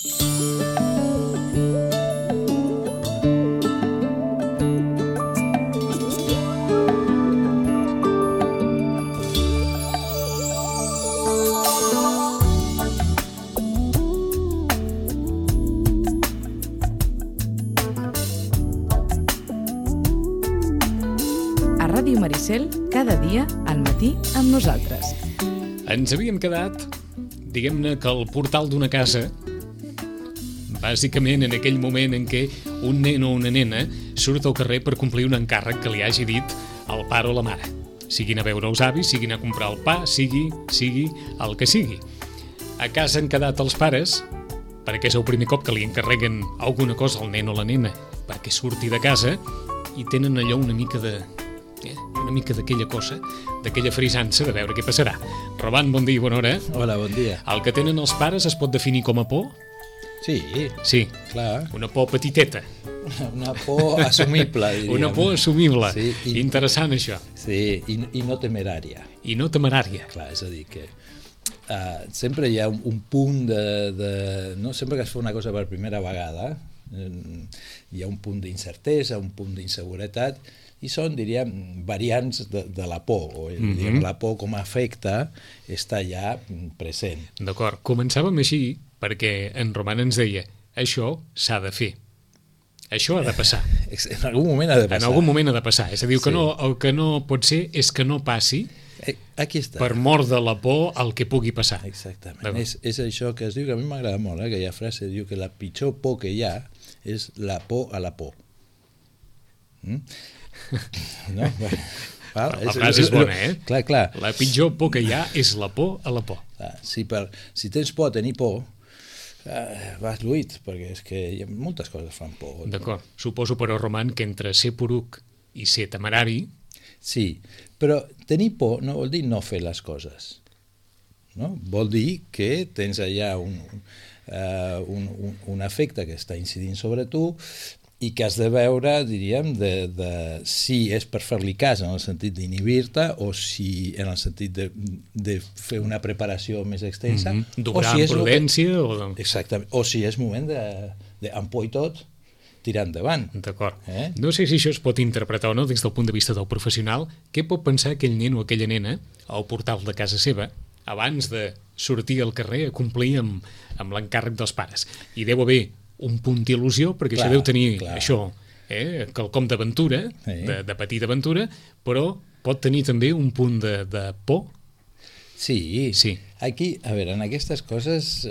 Ràdio Maricel, cada dia al matí amb nosaltres. Ens havíem quedat, diguem-ne, que al portal d'una casa, bàsicament en aquell moment en què un nen o una nena surt al carrer per complir un encàrrec que li hagi dit el pare o la mare. Siguin a veure els avis, siguin a comprar el pa, sigui el que sigui. A casa han quedat els pares, perquè és el primer cop que li encarreguen alguna cosa al nen o la nena perquè surti de casa, i tenen allò una mica d'aquella cosa, d'aquella frisança de veure què passarà. Roman, bon dia i bona hora. Hola, bon dia. El que tenen els pares es pot definir com a por? Sí, clar. Una por petiteta. Una por assumible, diríem. Una por assumible. Sí, interessant, això. Sí, i no temerària. I no temerària. Clar, és a dir, que sempre hi ha un punt no? Sempre que es fa una cosa per primera vegada, hi ha un punt d'incertesa, un punt d'inseguretat, i són, diríem, variants de la por, o diríem, la por com a efecte està ja present. D'acord, començàvem així perquè en Roman ens deia això s'ha de fer, això ha de passar. En algun moment ha de passar. En algun moment ha de passar, és a dir, el que no pot ser és que no passi. Aquí està. Per mort de la por al que pugui passar. Exactament, és això que es diu, que a mi m'agrada molt, aquella frase, diu que la pitjor por que hi ha és la por a la por. No? La frase és bona, Clar. La pitjor por que hi ha és la por a la por. Si tens por a tenir por, vas lluit, perquè és que moltes coses fan por. D'acord. Suposo, però, Roman, que entre ser poruc i ser temerari... Sí, però tenir por no vol dir no fer les coses. No? Vol dir que tens allà un efecte que està incidint sobre tu i que has de veure, diríem, de si és per fer-li cas en el sentit d'inhibir-te o si en el sentit de fer una preparació més extensa. D'obrar amb prudència. Exactament. O si és moment amb por i tot, tirar endavant. D'acord. No sé si això es pot interpretar o no des del punt de vista del professional. Què pot pensar aquell nen o aquella nena al portal de casa seva abans de sortir al carrer a complir amb l'encàrrec dels pares? I deu haver un punt d'il·lusió, perquè això deu tenir això, quelcom d'aventura, de petita aventura, però pot tenir també un punt de por. Sí. Aquí, a veure, en aquestes coses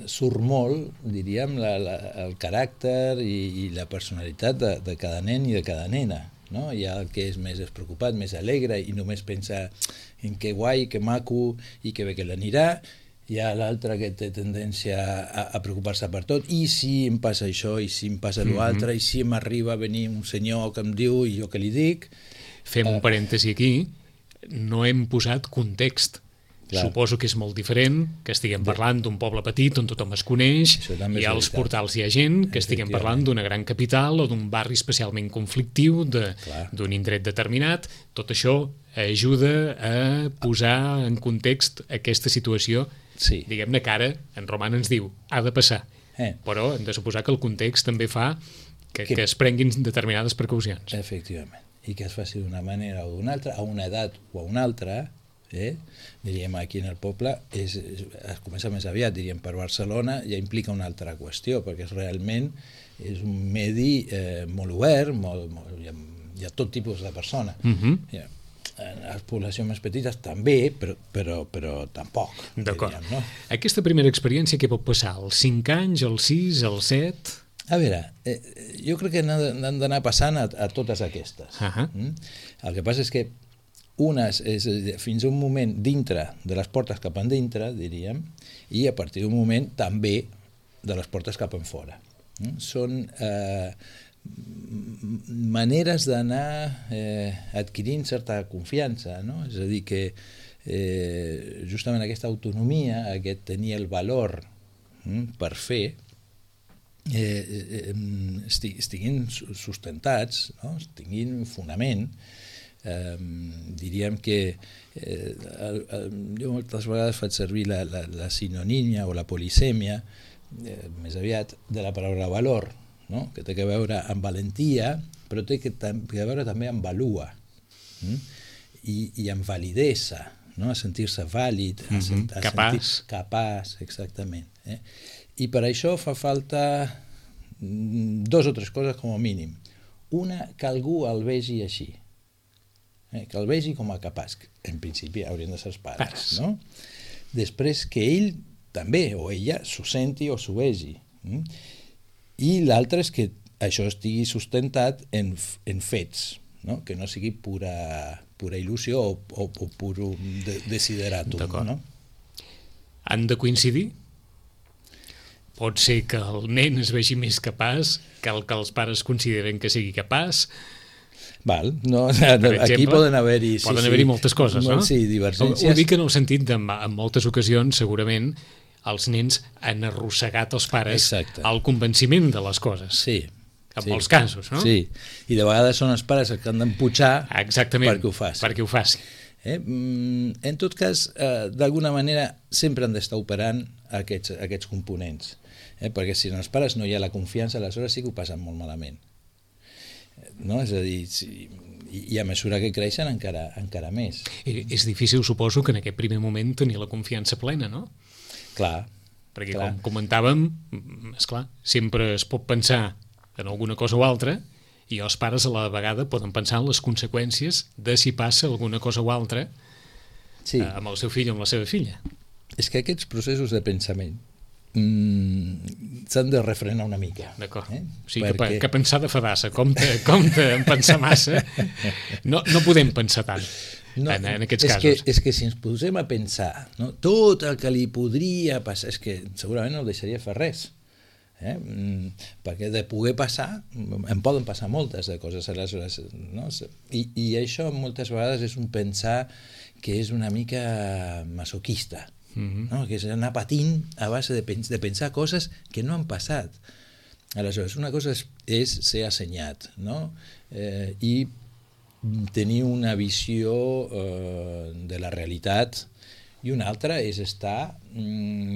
surt molt, diríem, el caràcter i la personalitat de cada nen i de cada nena. No? Hi ha el que és més despreocupat, més alegre i només pensa en que guai, que maco i que bé que l'anirà. Hi ha l'altre que té tendència a preocupar-se per tot, i si em passa això, i si em passa l'altre, i si m'arriba a venir un senyor que em diu i jo què li dic. Fem un parèntesi aquí, no hem posat context. Suposo que és molt diferent que estiguem parlant d'un poble petit on tothom es coneix, i als portals hi ha gent que estiguem parlant d'una gran capital o d'un barri especialment conflictiu, d'un indret determinat. Tot això ajuda a posar en context aquesta situació. Diguem-ne que ara en Roman ens diu ha de passar, però hem de suposar que el context també fa que es prenguin determinades precaucions. Efectivament, i que es faci d'una manera o d'una altra, a una edat o a una altra. Diríem, aquí en el poble es comença més aviat, diríem, per Barcelona ja implica una altra qüestió, perquè realment és un medi molt obert, hi ha tot tipus de persona. En les poblacions més petites també, però tampoc. D'acord. No? Aquesta primera experiència què pot passar? Als 5 anys, als 6, als 7? A veure, jo crec que n'han d'anar passant a totes aquestes. El que passa és que unes és fins a un moment dintre de les portes cap endintre, diríem, i a partir d'un moment també de les portes cap enfora. Són maneres d'anar adquirint certa confiança, no? És a dir, que justament aquesta autonomia, aquest tenir el valor per fer, estiguin sustentats, no? Tinguin fonament, Diríem que jo moltes vegades faig servir la sinonímia o la polisèmia, més aviat, de la paraula valor, no? Que té a veure amb valentia, però té a veure també amb valua, i amb validesa, no? A sentir-se vàlid, capaç, exactament. I per això fa falta 2 o 3 coses com a mínim. Una, que algú el vegi així, que el vegi com a capaç, en principi haurien de ser els pares, no? Després que ell també, o ella, s'ho senti o s'ho vegi. I l'altre és que això estigui sustentat en fets, no? Que no sigui pura il·lusió o pur desideratum. D'acord. No? Han de coincidir? Pot ser que el nen es vegi més capaç que el que els pares consideren que sigui capaç. Val, no, aquí poden haver-hi... Poden haver-hi moltes coses, no? Sí, divergències. Ho dic en el sentit de, en moltes ocasions, segurament, els nens han arrossegat els pares al convenciment de les coses. Sí. En molts casos, no? Sí, i de vegades són els pares els que han d'empujar perquè ho faci. Perquè ho faci. En tot cas, d'alguna manera, sempre han d'estar operant aquests components. Perquè si en els pares no hi ha la confiança, aleshores sí que ho passen molt malament. No? És a dir, i a mesura que creixen encara més. És difícil, suposo, que en aquest primer moment tenir la confiança plena, no? Clar. Perquè, com comentàvem, esclar, sempre es pot pensar en alguna cosa o altra, i els pares a la vegada poden pensar en les conseqüències de si passa alguna cosa o altra amb el seu fill o amb la seva filla. És que aquests processos de pensament s'han de refrenar una mica. D'acord. O sigui, que pensar de fadassa, compte en pensar massa, no podem pensar tant en aquests casos. És que si ens posem a pensar, no, tot el que li podria passar, és que segurament no deixaria fer res. Perquè de poder passar en poden passar moltes de coses aleshores, no? I això moltes vegades és un pensar que és una mica masoquista, no? Que és anar patint a base de pensar coses que no han passat. Aleshores, una cosa és ser assenyat, no? I tenir una visió de la realitat, i una altra és estar,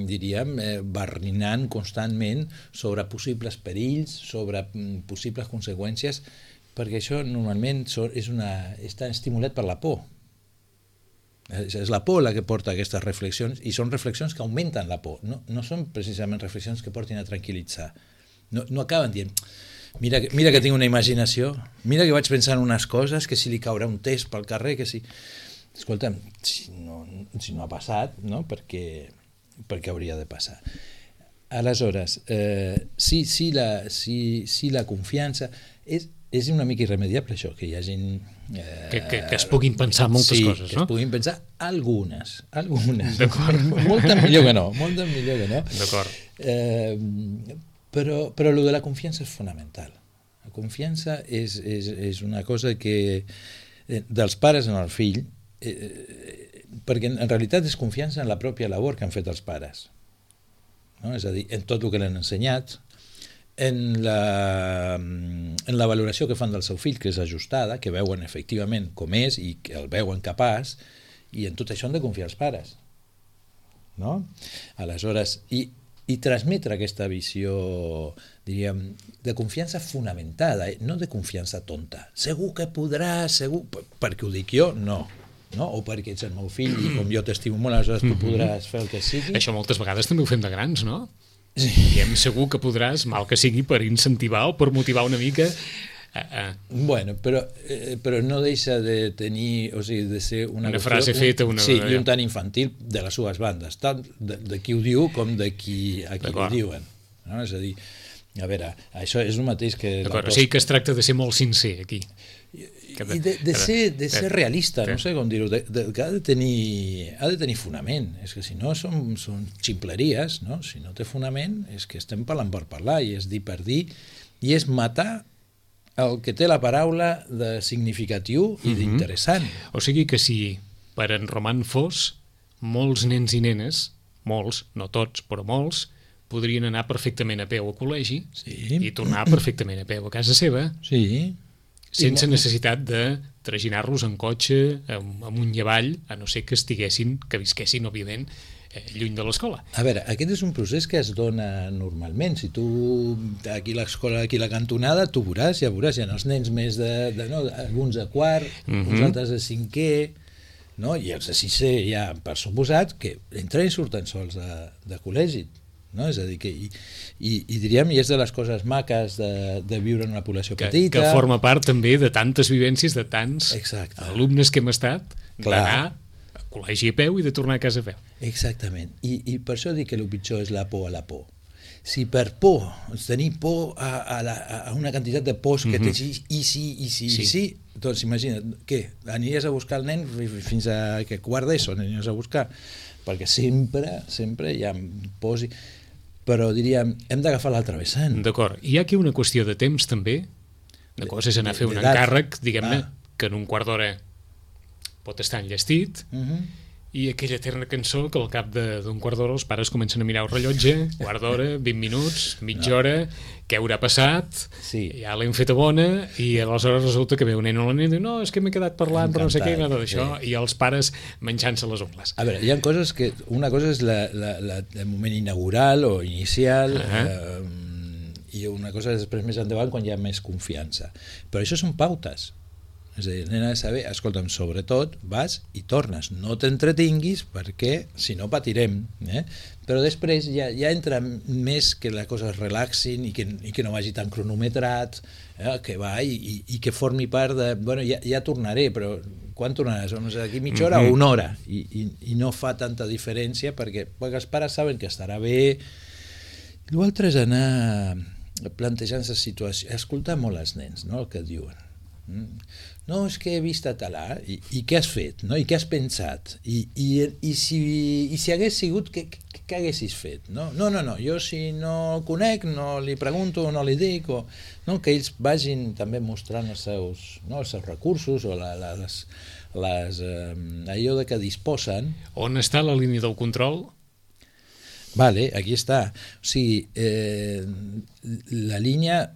diríem, barrinant constantment sobre possibles perills, sobre possibles conseqüències, perquè això normalment està estimulat per la por. És la por la que porta aquestes reflexions, i són reflexions que augmenten la por, no són precisament reflexions que portin a tranquil·litzar. No acaben dient, mira que tinc una imaginació, mira que vaig pensar en unes coses, que si li caurà un test pel carrer, que si... Escolta'm, si no ha passat, no? Perquè hauria de passar. Aleshores, si la confiança és una mica irremediable, això, que hi ha gent... Que es puguin pensar moltes coses, no? Sí, que es puguin pensar algunes. D'acord. Moltes millor que no. D'acord. Però lo de la confiança és fonamental. La confiança és una cosa que dels pares en el fill, perquè en realitat és confiança en la pròpia labor que han fet els pares, no? És a dir, en tot el que l'han ensenyat, en la valoració que fan del seu fill, que és ajustada, que veuen efectivament com és i que el veuen capaç, i en tot això han de confiar els pares, no? Aleshores, i transmetre aquesta visió, diríem, de confiança fonamentada, no de confiança tonta. Segur que podràs, segur... Perquè ho dic jo, no. O perquè ets el meu fill i com jo t'estimo molt, aleshores tu podràs fer el que sigui. Això moltes vegades també ho fem de grans, no? Sí. Diem segur que podràs, mal que sigui, per incentivar o per motivar una mica... Bueno, però no deixa de tenir, o sigui, de ser una frase feta, sí, i un tant infantil de les seves bandes, tant de qui ho diu com de qui ho diuen, no? És a dir, a veure, això és el mateix que... D'acord, o sigui que es tracta de ser molt sincer aquí. I de ser realista, no sé com dir-ho, que ha de tenir fonament. És que si no són ximpleries, no? Si no té fonament és que estem parlant per parlar, i és dir per dir, i és matar el que té la paraula de significatiu i d'interessant. O sigui que si per en Roman Fos, molts nens i nenes, molts, no tots, però molts, podrien anar perfectament a peu al col·legi i tornar perfectament a peu a casa seva. Sí. sense necessitat de traginar-los en cotxe, amunt i avall, a no ser que visquessin, òbviament, lluny de l'escola. A veure, aquest és un procés que es dona normalment. Si tu, aquí a l'escola, aquí a la cantonada, tu veuràs, ja hi ha els nens més alguns de quart, uns altres de cinquè, no? I els de sisè ja, per suposat, que entren i surten sols de col·legi. No? És a dir, que i diríem, i és de les coses maques de viure en una població petita. Que forma part també de tantes vivències, de tants alumnes que hem estat, d'anar a col·legi a peu i de tornar a casa a peu. Exactament. I per això dic que el pitjor és la por a la por. Si per por, tenir por a una quantitat de pors que tens, i sí, doncs imagina't, què? Aniries a buscar el nen fins a que quart d'ESO aniries a buscar, perquè sempre hi ha pors, però diríem, hem d'agafar l'altre vessant. D'acord. Hi ha aquí una qüestió de temps també, de coses anar a fer un encàrrec, diguem-ne, que en un quart d'hora pot estar enllestit, i aquella eterna cançó que al cap d'un quart d'hora els pares comencen a mirar el rellotge, quart d'hora, 20 minuts, mitja hora, què haurà passat, ja l'hem feta bona, i aleshores resulta que ve un nen o la nena i diu, no, és que m'he quedat parlant però no sé què, nada d'això, i els pares menjant-se les ungles. A veure, hi ha coses que, una cosa és el moment inaugural o inicial, i una cosa és després més endavant quan hi ha més confiança, però això són pautes. És a dir, el nen ha de saber, escolta'm, sobretot vas i tornes, no t'entretinguis perquè si no patirem, però després ja entra més que la cosa es relaxin i que no vagi tan cronometrat, que va i que formi part de, bueno, ja tornaré, però quan tornaràs? D'aquí mitja hora o una hora, i no fa tanta diferència perquè els pares saben que estarà bé. L'altre és anar plantejant-se situacions, escoltar molt els nens, no, el que diuen. No, és que he vist a talà, i què has fet, no? I què has pensat, i si hagués sigut, què haguessis fet, no? No, jo si no el conec no li pregunto, no li dic, no? Que ells vagin també mostrant els seus recursos o allò de què disposen. On està la línia del control? Vale, aquí està. O sigui, la línia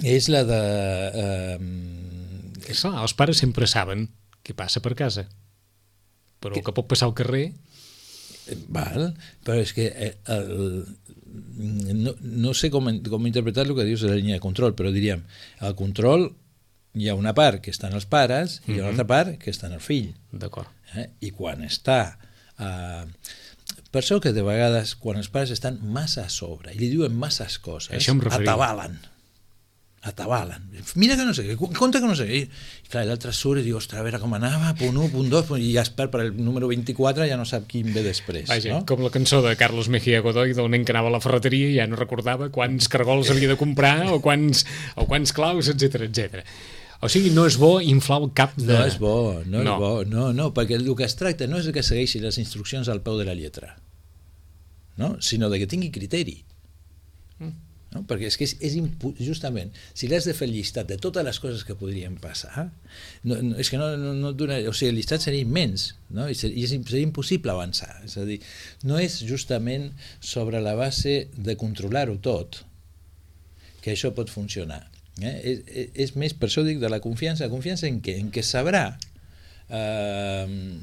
és la de... Clar, els pares sempre saben què passa per casa, però el que pot passar al carrer... Val, però és que no sé com interpretar el que dius de la línia de control, però diríem, al control hi ha una part que està en els pares i hi ha una altra part que està en el fill. D'acord. I quan està... Per això que de vegades, quan els pares estan massa a sobre i li diuen masses coses, atabalen. Mira que no sé què, compte que no sé què. I clar, l'altre surt i diu, ostres, a veure com anava, punt 1, punt 2, i ja es perd per el número 24, ja no sap quin ve després. Vaja, no? Com la cançó de Carlos Mejía Godoy del nen que anava a la ferreteria i ja no recordava quants cargols havia de comprar o quants claus, etc. O sigui, no és bo inflar el cap de... No és bo, no, perquè el que es tracta no és que segueixi les instruccions al peu de la lletra, no? Sinó de que tingui criteri. No? Perquè és que justament, si l'has de fer el llistat de totes les coses que podrien passar, és que no dona, o sigui, el llistat seria immens, no? I seria impossible avançar. És a dir, no és justament sobre la base de controlar-ho tot que això pot funcionar. És més, per això dic, de la confiança en què? En què sabrà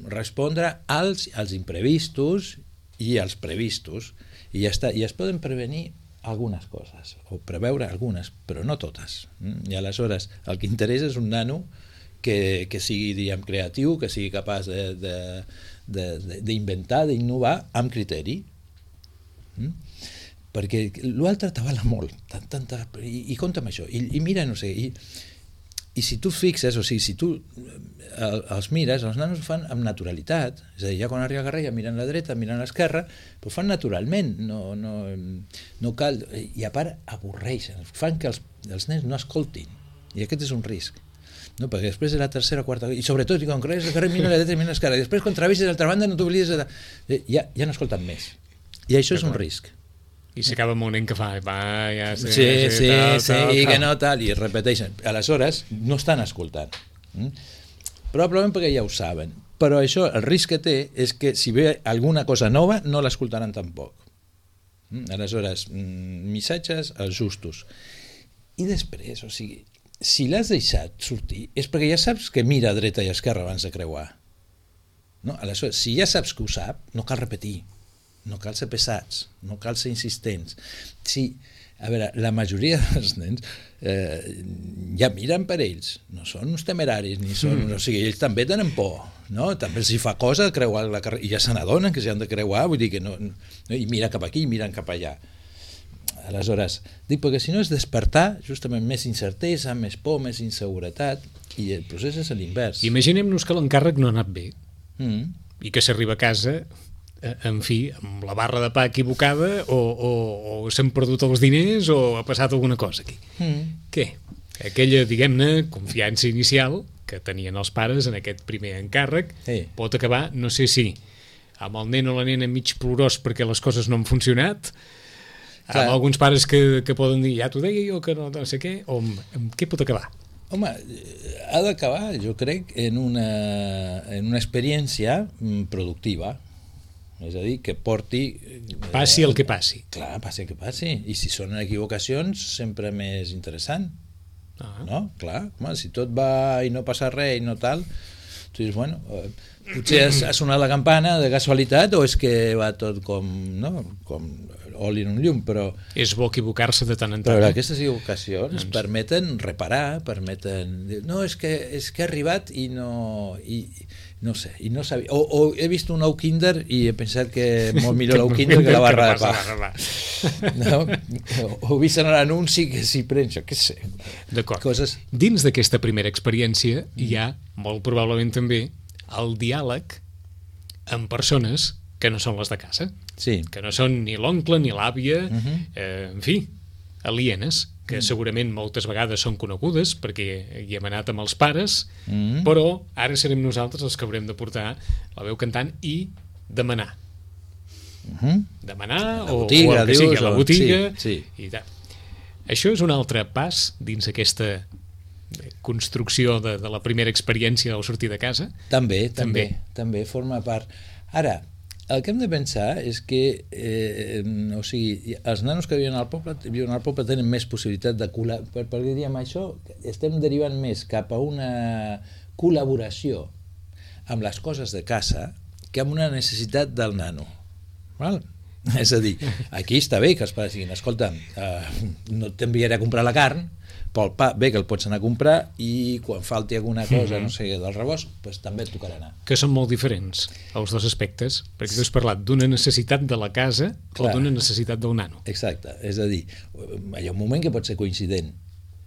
respondre als imprevistos i als previstos, i ja està. I es poden prevenir algunes coses, o preveure algunes, però no totes. I aleshores el que interessa és un nano que sigui, diguem, creatiu, que sigui capaç d'inventar, d'innovar amb criteri. Perquè l'altre t'avala molt, i compta amb això, i mira, no sé, i si tu fixes, o sigui, si tu els mires, els nanos ho fan amb naturalitat, és a dir, ja quan arriba a carrer ja miren a la dreta, miren a l'esquerra, però ho fan naturalment, no cal, i a part avorreixen, fan que els nens no escoltin, i aquest és un risc, no? Perquè després de la tercera o quarta, i sobretot quan creues el carrer mira a la dreta i mira a l'esquerra, i després quan travessis a l'altra banda no t'oblides ja no escolten més, i això és un risc. I s'acaba amb un nen que fa ja sé, i que no tal, i es repeteixen. Aleshores no estan escoltant, probablement perquè ja ho saben, però això, el risc que té és que si ve alguna cosa nova no l'escoltaran tampoc. Aleshores, missatges els justos. I després, o sigui, si l'has deixat sortir és perquè ja saps que mira a dreta i a esquerra abans de creuar. No? Aleshores, si ja saps que ho sap, no cal repetir, no cal ser pesats, no cal ser insistents. Sí, a veure, la majoria dels nens ja miren per ells, no són uns temeraris, ni són, o sigui, ells també tenen por, no? També els hi fa cosa creuar la carretera, i ja se n'adonen que s'hi han de creuar, vull dir que no, i miren cap aquí, miren cap allà. Aleshores, dic, perquè si no és despertar justament més incertesa, més por, més inseguretat, i el procés és l'invers. Imaginem-nos que l'encàrrec no ha anat bé, i que s'arriba a casa, en fi, amb la barra de pa equivocada, o s'han perdut els diners, o ha passat alguna cosa aquí. Què? Aquella, diguem-ne, confiança inicial que tenien els pares en aquest primer encàrrec pot acabar, no sé si amb el nen o la nena mig plorós perquè les coses no han funcionat, amb alguns pares que poden dir, ja t'ho deia jo que no sé què, o amb què pot acabar? Home, ha d'acabar, jo crec, en una experiència productiva. És a dir, que porti... Passi el que passi. Clar, passi el que passi. I si són equivocacions, sempre més interessant. No? Clar, home, si tot va i no passa res i no tal, tu dius, bueno, potser ha sonat la campana de casualitat o és que va tot com oli en un llum, però... És bo equivocar-se de tant en tant. Però aquestes equivocacions permeten reparar, permeten... No, és que he arribat i no... No sé, i no sabia... O he vist un ou Kinder i he pensat que molt millor l'ou Kinder que la barra de pa. No? O he vist en l'anunci que s'hi pren, jo què sé. D'acord. Dins d'aquesta primera experiència hi ha, molt probablement també, el diàleg amb persones que no són les de casa. Sí. Que no són ni l'oncle ni l'àvia, en fi, alienes, que segurament moltes vegades són conegudes perquè hi hem anat amb els pares, però ara serem nosaltres els que haurem de portar la veu cantant i demanar. Demanar o el que sigui, a la botiga. I tal. Això és un altre pas dins aquesta construcció de la primera experiència al sortir de casa? També forma part. Ara, el que hem de pensar és que o sigui, els nanos que viuen al poble tenen més possibilitat de perquè diríem això, estem derivant més cap a una col·laboració amb les coses de casa que amb una necessitat del nano. Val? És a dir, aquí està bé que els pares diguin, escolta, no t'enviaré a comprar la carn, però el pa bé que el pots anar a comprar i quan falti alguna cosa, no sé, del rebost, doncs també et tocarà anar. Que són molt diferents els dos aspectes, perquè tu has parlat d'una necessitat de la casa o d'una necessitat del nano. Exacte, és a dir, hi ha un moment que pot ser coincident,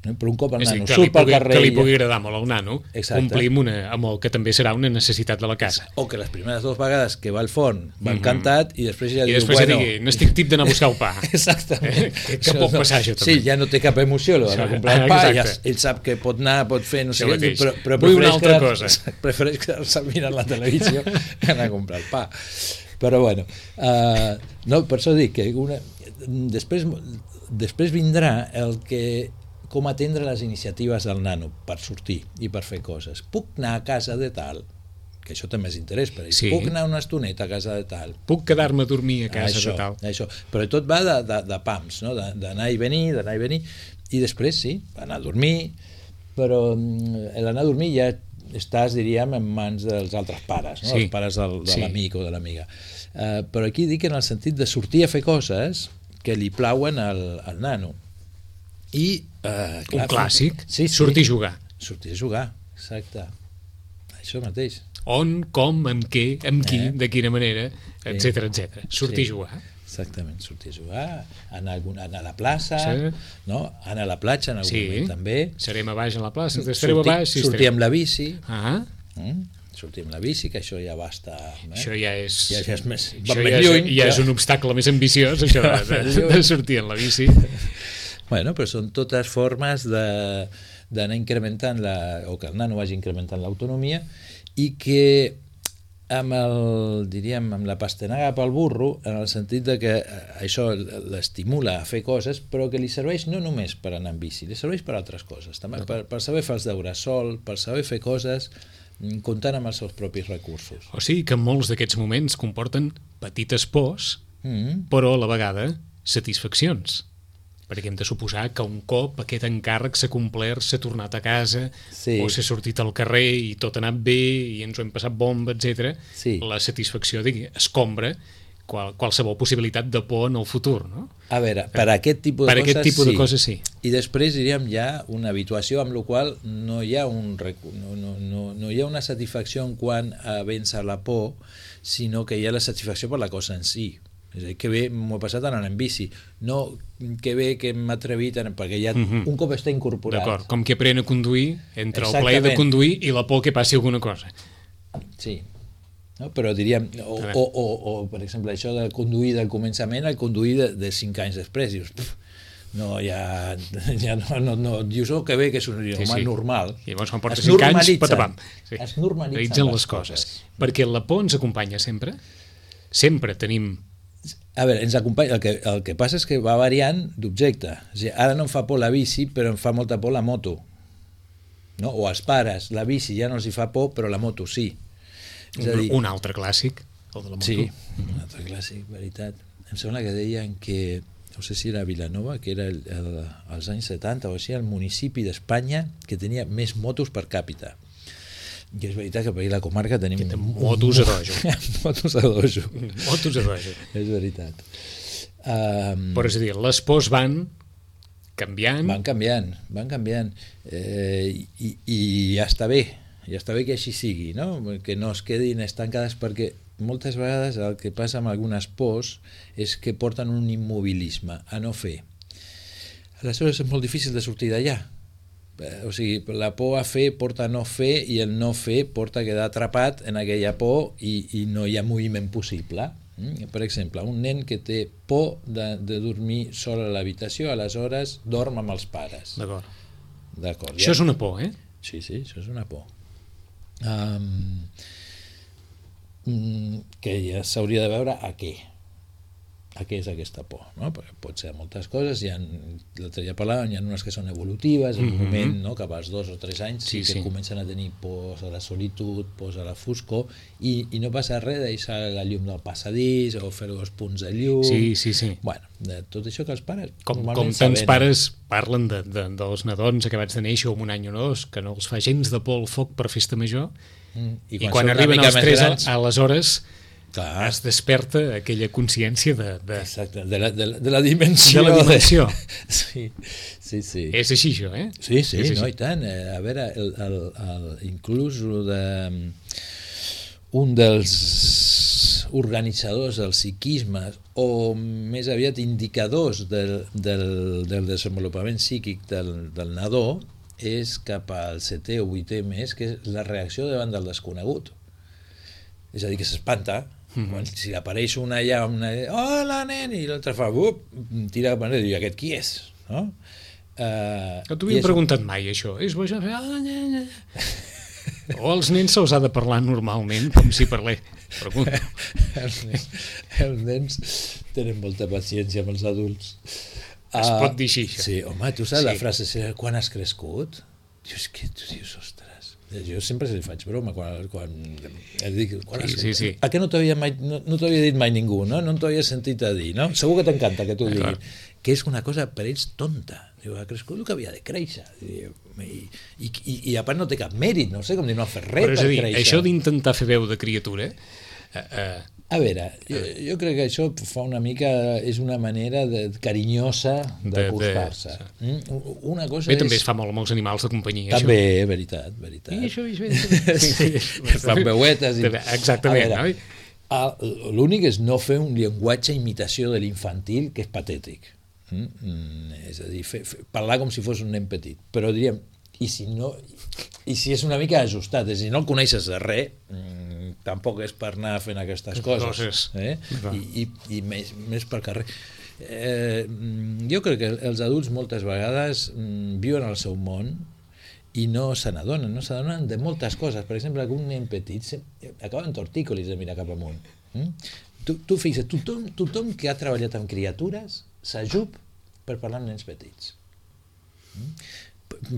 però un cop el nano surt pel carrer... Que li pugui agradar molt al nano, complim amb el que també serà una necessitat de la casa. O que les primeres 2 vegades que va al forn va encantat i després ja diu, bueno... n'estic tip d'anar a buscar el pa. Exactament. Que pot passar això també. Sí, ja no té cap emoció, d'anar a comprar el pa, ell sap que pot anar, pot fer, no sé què, però prefereix quedar-se mirant la televisió que anar a comprar el pa. Però bueno, per això dic que després vindrà el que com atendre les iniciatives del nano per sortir i per fer coses. Puc anar a casa de tal, que això també és interès per ells. Puc anar una estoneta a casa de tal. Puc quedar-me a dormir a casa de tal. Això. Però tot va de pams, no? D'anar i venir, i després sí, anar a dormir, però l'anar a dormir ja estàs, diríem, en mans dels altres pares, no? Els pares de l'amic o de l'amiga. Però aquí dic en el sentit de sortir a fer coses que li plauen al nano. I, un clàssic, sortir a jugar. Sortir a jugar, exacte. Això mateix. On, com, amb què, amb qui, de quina manera, etc. Sortir a jugar. Exactament, sortir a jugar, anar a la plaça, no? Anar a la platja en algun moment també. Serem a baix a la plaça, estareu a baix. Sortir amb la bici. Sortir amb la bici, que això ja va estar... Això ja és... Ja és més... Ja és un obstacle més ambiciós, això de sortir amb la bici. Bueno, però són totes formes d'anar incrementant o que el nano vagi incrementant l'autonomia i que amb la pastanaga pel burro, en el sentit de que això l'estimula a fer coses, però que li serveix no només per anar en bici, li serveix per altres coses, també per saber fer els deures sol, per saber fer coses comptant amb els seus propis recursos. O sigui que molts d'aquests moments comporten petites pors, però a la vegada satisfaccions. perquè hem de suposar que un cop aquest encàrrec s'ha complert, s'ha tornat a casa, o s'ha sortit al carrer i tot ha anat bé i ens ho hem passat bomba, etc. La satisfacció escombra qualsevol possibilitat de por en el futur, no? A veure, per aquest tipus de coses sí. I després diríem ja una habituació amb la qual no hi ha no hi ha una satisfacció en quant a vèncer la por, sinó que hi ha la satisfacció per la cosa en si. És a dir, que bé m'ho he passat anant en bici, no que bé que m'he atrevit, perquè ja un cop està incorporat. D'acord, com que apren a conduir entre el plaer de conduir i la por que passi alguna cosa. Sí. No? Però diríem, o per exemple això de conduir del començament al conduir de 5 anys després, dius, no, ja no, dius, que bé que és un idioma normal. I llavors quan portes 5 anys, patapam. Es normalitzen les coses. Perquè la por ens acompanya sempre. Sempre tenim... A veure, ens acompanya, el que passa és que va variant d'objecte. Ara no em fa por la bici, però em fa molta por la moto. No? O als pares, la bici ja no els hi fa por, però la moto sí. Un altre clàssic, el de la moto. Sí, un altre clàssic, veritat. Em sembla que deien que, no sé si era Vilanova, que era als anys 70 o així, el municipi d'Espanya que tenia més motos per càpita. I és veritat que per aquí a la comarca tenim... Motos a dojo. Motos a dojo. Motos a dojo. És veritat. Però és a dir, les pors van canviant. Van canviant. I ja està bé. Ja està bé que així sigui, no? Que no es quedin estancades, perquè moltes vegades el que passa amb algunes pors és que porten un immobilisme a no fer. Aleshores és molt difícil de sortir d'allà. O sigui, la por a fer porta a no fer i el no fer porta a quedar atrapat en aquella por i no hi ha moviment possible. Per exemple, un nen que té por de dormir sol a l'habitació, aleshores dorm amb els pares. D'acord. Això és una por, eh? Sí, això és una por. Que ja s'hauria de veure a què és aquesta por, no? Perquè pot ser moltes coses, l'altre dia parlàvem, hi ha unes que són evolutives, en un moment, no? Cap als 2 o 3 anys que comencen a tenir pors a la solitud, pors a la foscor, i no passa res deixar la llum del passadís o fer 2 punts de llum. Sí. Bueno, de tot això que els pares com tants pares parlen dels nadons acabats de néixer amb un any o 2 que no els fa gens de por el foc per festa major, i quan arriben als 3 aleshores es desperta aquella consciència de la dimensió. Sí. És així, això, eh? Sí, no, i tant. A veure, inclús un dels organitzadors del psiquisme, o més aviat indicadors del desenvolupament psíquic del nadó, és cap al 7è o 8è mes, que és la reacció davant del desconegut. És a dir, que s'espanta. Si apareix una allà, hola nen, i l'altre fa, tira cap enrere, i diu, aquest qui és? No t'ho havien preguntat mai, això. És bo, o als nens se'ls ha de parlar normalment, com si parlés. Pregunto. Els nens tenen molta paciència amb els adults. Es pot dir així, això. Sí, home, tu saps la frase, quan has crescut? Dius, què? Tu dius, ostres. Jo sempre li faig broma quan dic, sí. A què no t'havia dit mai ningú, no? No t'ho havia sentit a dir, no? Segur que t'encanta que t'ho diguin. Que és una cosa per ells tonta. Diu, ha crescut el que havia de créixer. I a part no té cap mèrit, no sé com dir, no ha fet res per créixer. Això d'intentar fer veu de criatura... A veure, jo crec que això fa una mica, és una manera carinyosa d'acostar-se. Una cosa bé, també es fa molt amb els animals de companyia. També, veritat. I això. Fan veuetes. Exactament. L'únic és no fer un llenguatge imitació de l'infantil, que és patètic. És a dir, parlar com si fos un nen petit. Però diríem, i si és una mica ajustat, és a dir, no el coneixes de res, tampoc és per anar fent aquestes coses, i més per carrer. Jo crec que els adults moltes vegades viuen al seu món i no se n'adonen de moltes coses. Per exemple, un nen petit acaba en tortícolis de mirar cap amunt. Tu fixa't, tothom que ha treballat amb criatures s'ajup per parlar amb nens petits.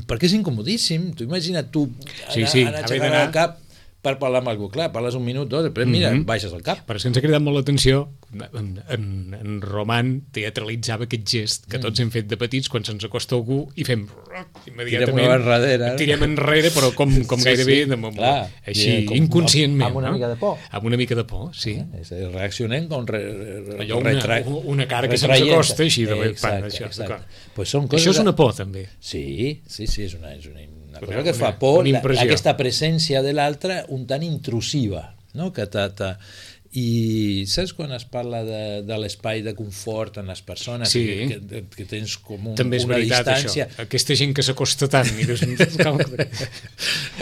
Perquè és incomodíssim. Tu imagina't anar aixecant el cap per parlar amb algú. Clar, parles un minut, dos, després mira, baixes el cap. Però és que ens ha cridat molt l'atenció, en Roman teatralitzava aquest gest que tots hem fet de petits quan se'ns acosta algú i fem immediatament, tirem enrere, però com gairebé així, inconscientment. Amb una mica de por. Amb una mica de por, sí. Reaccionem com una cara que se'ns acosta així. Exacte. Això és una por, també. Sí, és una cosa que fa por, aquesta presència de l'altre un tant intrusiva, no? I saps quan es parla de l'espai de confort en les persones, que tens com també és una veritat, distància... Aquesta gent que s'acosta tant i dius,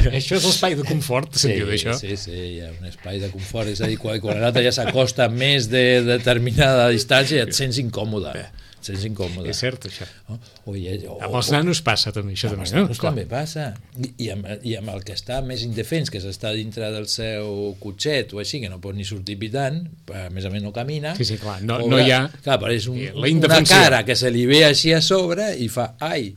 això és l'espai de confort, se'n diu d'això? Sí, hi ha un espai de confort, és a dir, quan l'altre ja s'acosta més de determinada distància et sents incòmode. És cert, això. Amb els nanos passa també, això també. Amb els nanos també passa. I amb el que està més indefens, que s'està dintre del seu cotxet o així, que no pot ni sortir pitant, a més no camina. Sí, clar, no hi ha... Clar, apareix una cara que se li ve així a sobre i fa, ai!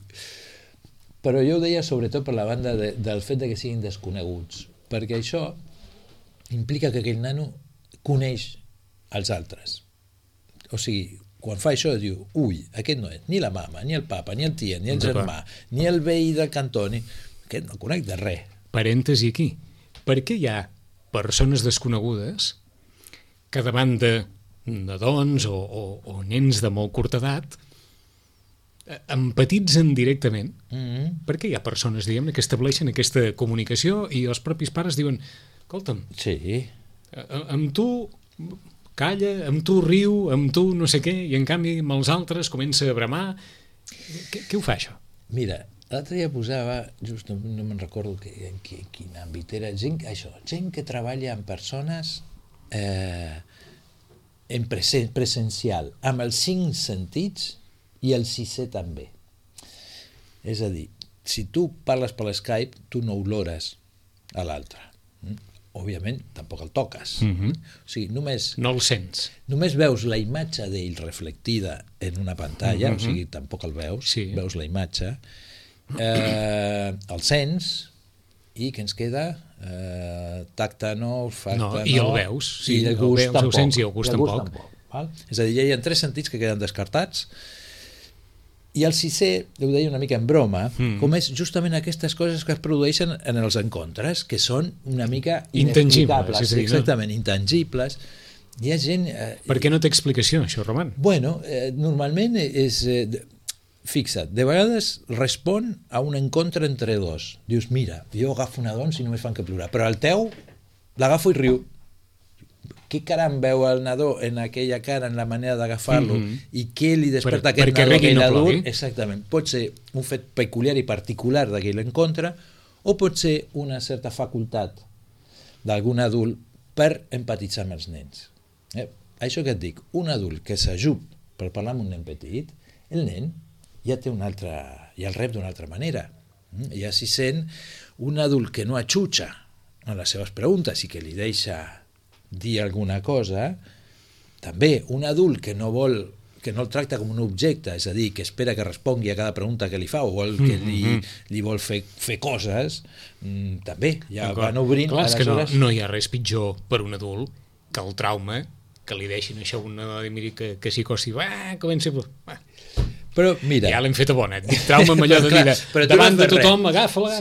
Però jo ho deia sobretot per la banda del fet que siguin desconeguts, perquè això implica que aquell nano coneix els altres. O sigui, quan fa això diu, ui, aquest no és ni la mama, ni el papa, ni el tia, ni el germà, ni el veí del cantó, aquest no conec de res. Parèntesi aquí. Per què hi ha persones desconegudes que davant de nadons o nens de molt curta edat empatitzen directament? Per què hi ha persones, diguem-ne, que estableixen aquesta comunicació i els propis pares diuen, escolta'm, amb tu... calla, amb tu riu, amb tu no sé què, i en canvi amb els altres comença a bramar. Què ho fa, això? Mira, l'altre dia posava, just no me'n recordo en quin àmbit era, gent que treballa amb persones en presencial, amb els 5 sentits i el 6è també. És a dir, si tu parles per l'Skype, tu no olores a l'altre. Òbviament, tampoc el toques. O sigui, només... No el sents. Només veus la imatge d'ell reflectida en una pantalla, o sigui, tampoc el veus, veus la imatge, el sents, i què ens queda? Tacte no, olfacte no... I el veus. I el gust tampoc. El sents i el gust tampoc. És a dir, hi ha 3 sentits que queden descartats, i el 6è, ho deia una mica en broma, com és justament aquestes coses que es produeixen en els encontres, que són una mica inexplicables. Exactament, intangibles. Hi ha gent... Per què no té explicació, això, Roman? Bueno, normalment és... Fixa't, de vegades respon a un encontre entre dos. Dius, mira, jo agafo una dona i només fan que plorar, però el teu l'agafo i riu. Què caram veu el nadó en aquella cara, en la manera d'agafar-lo, i què li desperta aquest nadó, aquell adult? Exactament. Pot ser un fet peculiar i particular d'aquell encontre, o pot ser una certa facultat d'algun adult per empatitzar amb els nens. Això que et dic, un adult que s'ajup per parlar amb un nen petit, el nen ja té una altra, ja el rep d'una altra manera. Ja s'hi sent un adult que no atxutxa en les seves preguntes i que li deixa dir alguna cosa, també un adult que no el tracta com un objecte, és a dir, que espera que respongui a cada pregunta que li fa o vol que li vol fer coses, també ja van obrint. Clar, és que no hi ha res pitjor per un adult que el trauma, que li deixin això una dona i miri que s'hi costi, comença a... Però mira... Ja l'hem fet a bona, et dic trauma amb allò de dir davant de tothom, agafa-la,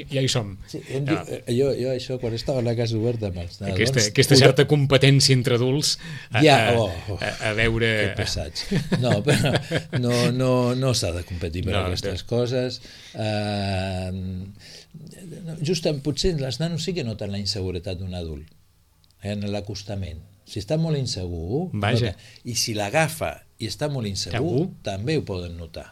ja hi som. Jo això, quan estava a la casa oberta amb els nadons... Aquesta certa competència entre adults a veure... Que pesats. No, però no s'ha de competir per aquestes coses. Justament, potser els nanos sí que noten la inseguretat d'un adult en l'acostament. Si està molt insegur, i si l'agafa i està molt insegur, també ho poden notar.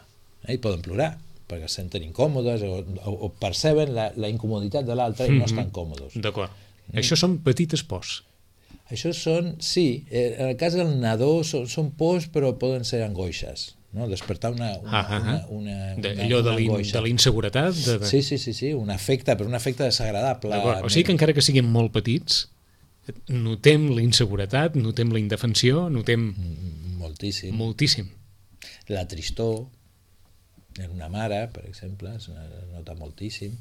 I poden plorar, perquè es senten incòmodes o perceben la incomoditat de l'altre i no estan còmodes. D'acord. Això són petites pors. Això són, sí, en el cas del nadó són pors, però poden ser angoixes. Despertar una allò de la inseguretat? Sí, un afecte, però un afecte desagradable. O sigui que encara que siguin molt petits, notem la inseguretat, notem la indefensió, notem... Moltíssim. La tristor en una mare, per exemple, es nota moltíssim.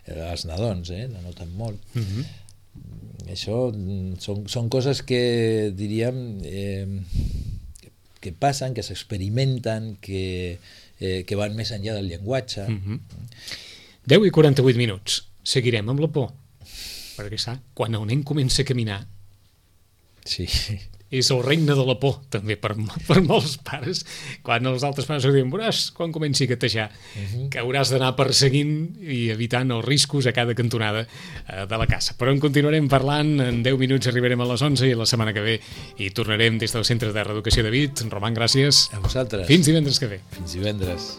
Els nadons, la noten molt. això són coses que diríem que passen, que s'experimenten, que van més enllà del llenguatge. 10 i 48 minuts. Seguirem amb la por. Perquè, quan el nen comença a caminar, sí, és el regne de la por, també, per molts pares. Quan els altres pares diuen, veuràs quan comenci a gatejar, que hauràs d'anar perseguint i evitant els riscos a cada cantonada de la casa. Però en continuarem parlant, en 10 minuts arribarem a les 11 i la setmana que ve hi tornarem des del Centre de Reeducació de Vic. Roman, gràcies. A vosaltres. Fins divendres que ve. Fins divendres.